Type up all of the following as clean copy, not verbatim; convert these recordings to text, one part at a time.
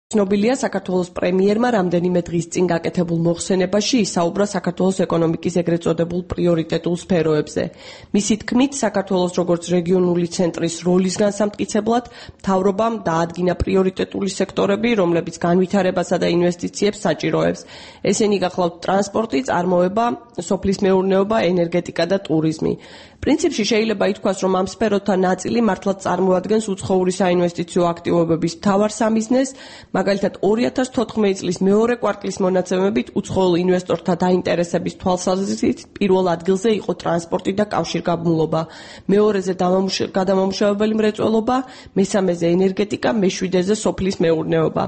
ცნობილია საქართველოს პრემიერმა რამდენიმე დღის წინ გაკეთებულ მოხსენებაში ისაუბრა საქართველოს ეკონომიკის ეგრეთ წოდებულ პრიორიტეტულ სფეროებზე. მისი თქმით, საქართველოს როგორც რეგიონული ცენტრის როლის განსამტკიცებლად მთავრობამ დაადგინა პრიორიტეტული სექტორები, რომლებიც განვითარებასა და ინვესტიციებს საჭიროებს. ესენი გახლავთ ტრანსპორტი, წარმოება, სოფლის მეურნეობა, ენერგეტიკა და ტურიზმი. პრინციპში შეიძლება ითქვას, რომ ამ სფეროთა ნაწილი მართლაც წარმოადგენს უცხოური საინვესტიციო აქტივობების მთავარ სამიზნეს, მაგალითად 2014 წლის მეორე კვარტლის მონაცემებით უცხოელ ინვესტორთა დაინტერესების თვალსაზრისით პირველ ადგილზე იყო ტრანსპორტი და კავშირგაბმულობა, მეორეზე გადამამუშავებელი მრეწველობა, მესამეზე ენერგეტიკა, მეშვიდეზე სოფლის მეურნეობა.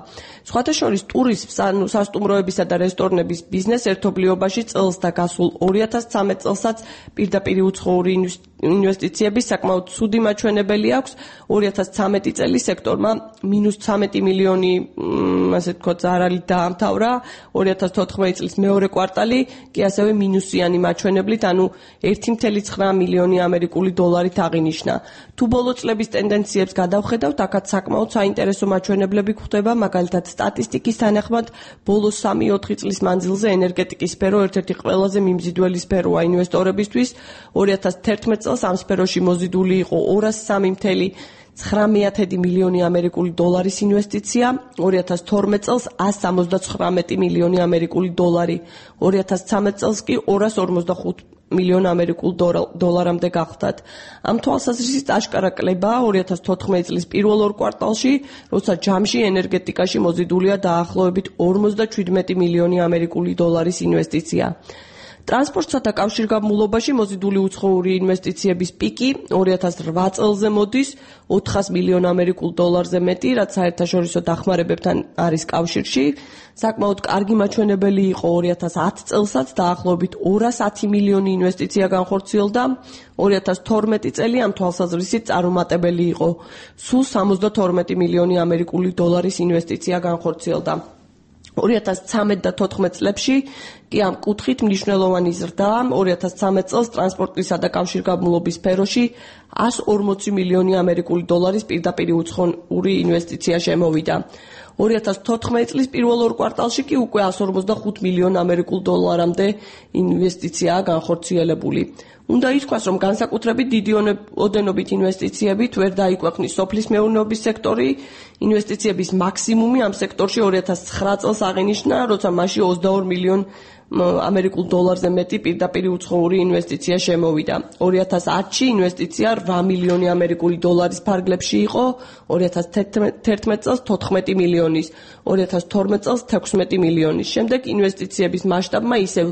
სხვათა შორის ტურიზმს, სასტუმროებისა და რესტორნების ბიზნეს ერთობლიობაში წელს და გასულ 2013 წელსაც პირდაპირ უცხოური ინვესტიციების საკმაოდ ცუდი მაჩვენებელი აქვს. 2013 წელი სექტორმა -13 მილიონი ასე ვთქვათ ზარალით დაამთავრა, 2014 წლის მეორე კვარტალი კი ასევე მინუსიანი მაჩვენებლით, ანუ 1,9 მილიონი ამერიკული დოლარით აღინიშნა. თუ ბოლო წლების ტენდენციებს გადავხედავთ, აქაც საკმაოდ საინტერესო მაჩვენებლები გვხვდება, მაგალითად სტატისტიკის თანახმად, ბოლო 3-4 წლის მანძილზე ენერგეტიკის სფერო ერთ-ერთი ყველაზე მიმზიდველი სფეროა ინვესტორებისთვის. 2011 წელს ამ სფეროში მოზიდული იყო 203,9 მილიონი ამერიკული დოლარის ინვესტიცია, 2012 წელს 179 მილიონი ამერიკული დოლარი, 2013 წელს კი 245 მილიონ ამერიკულ დოლარამდე გახდათ. ამ თვალსაზრისით აშკარა კლებაა 2014 წლის პირველ ორ კვარტალში, როცა ჯამში ენერგეტიკაში მოზიდულია დაახლოებით 57 მილიონი ამერიკული დოლარის ინვესტიცია. ტრანსპორტსა და კავშირგაბმულობაში მოზიდული უცხოური ინვესტიციების პიკი 2008 წელზე მოდის 400 მილიონ ამერიკულ დოლარზე მეტი, რაც საერთაშორისო დახმარებებთან არის კავშირში. საკმაოდ კარგი მაჩვენებელი იყო 2010 წელსაც დაახლოებით 210 მილიონი ინვესტიცია განხორციელდა. 2012 წელი ამ თვალსაზრისით წარუმატებელი იყო. სულ 72 მილიონი ამერიკული დოლარის ინვესტიცია განხორციელდა. 2013 და 2014 წლებში კი ამ კუთხით მნიშვნელოვანი ზრდაა. 2013 წელს ტრანსპორტისა და კავშირგაბმულობის სფეროში 140 მილიონი ამერიკული დოლარის პირდაპირ უცხოური ინვესტიცია შემოვიდა. 2014 წლის პირველ ორ კვარტალში კი უკვე 145 მილიონ ამერიკულ დოლარამდე ინვესტიციაა განხორციელებული. უნდა ითქვას, რომ განსაკუთრებით დიდი ოდენობით ინვესტიციებით ვერ დაიკვეყნის სოფლის მეურნეობის სექტორი. ინვესტიციების მაქსიმუმი ამ სექტორში 2009 წელს აღინიშნა, როცა მასში 22 მილიონ ამერიკულ დოლარზე მეტი პირდაპირ უცხოური ინვესტიცია შემოვიდა. 2010-ში ინვესტიცია 8 მილიონი ამერიკული დოლარის ფარგლებში იყო, 2011 წელს 14 მილიონის, 2012 წელს 16 მილიონის. შემდეგ ინვესტიციების მასშტაბმა ისევ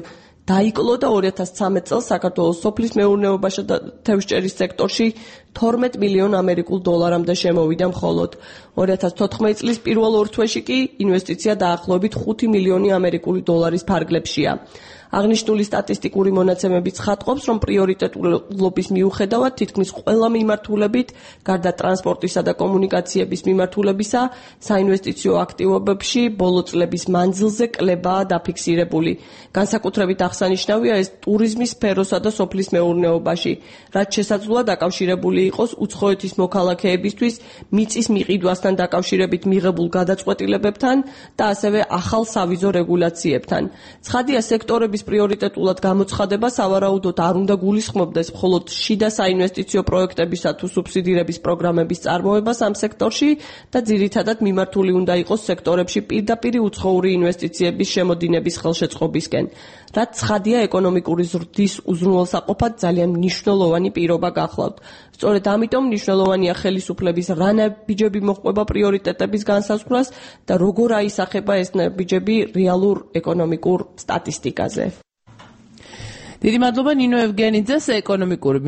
დაიკლო და 2013 წელს საქართველოს სოფლის მეურნეობასა და თევზჭერის სექტორში 12 მილიონ ამერიკულ დოლარამდე შემოვიდა მხოლოდ. 2014 წლის პირველ ორ თვეში კი ინვესტიცია დაახლოებით 5 მილიონი ამერიკული დოლარის ფარგლებშია. აღნიშნული სტატისტიკური მონაცემები ცხადყოფს, რომ პრიორიტეტულობის მიუხედავად თითქმის ყველა მიმართულებით, გარდა ტრანსპორტისა და კომუნიკაციების მიმართულებისა, საინვესტიციო აქტივობებში ბოლო წლების მანძილზე კლებაა დაფიქსირებული. განსაკუთრებით აღსანიშნავია ეს ტურიზმის სფეროსა და სოფლის მეურნეობაში, რაც შესაძლოა დაკავშირებული იყოს უცხოეთის მოქალაქეებისთვის მიწის მიყიდვასთან დაკავშირებით მიღებულ გადაწყვეტილებებთან და ასევე ახალ სავიზო რეგულაციებთან. ცხადია, სექტორების პრიორიტეტულად გამოცხადება სავარაუდოდ არ უნდა გულისხმობდეს მხოლოდ შიდა საინვესტიციო პროექტებისა თუ სუბსიდირების პროგრამების წარმოებას ამ სექტორში და ძირითადად მიმართული უნდა იყოს სექტორებში პირდაპირ უცხოური ინვესტიციების შემოდინების ხელშეწყობისკენ, რაც ცხადია ეკონომიკური ზრდის უზრუნველსაყოფად ძალიან მნიშვნელოვანი პირობა გახლავთ. სწორედ ამიტომ მნიშვნელოვანია ხელისუფლების რა ნაბიჯები მოჰყვება პრიორიტეტების განსაზღვრას და როგორ აისახება ეს ნაბიჯები რეალურ ეკონომიკურ სტატისტიკაზე. დიდი მადლობა ნინო ევგენიძეს ეკონომიკური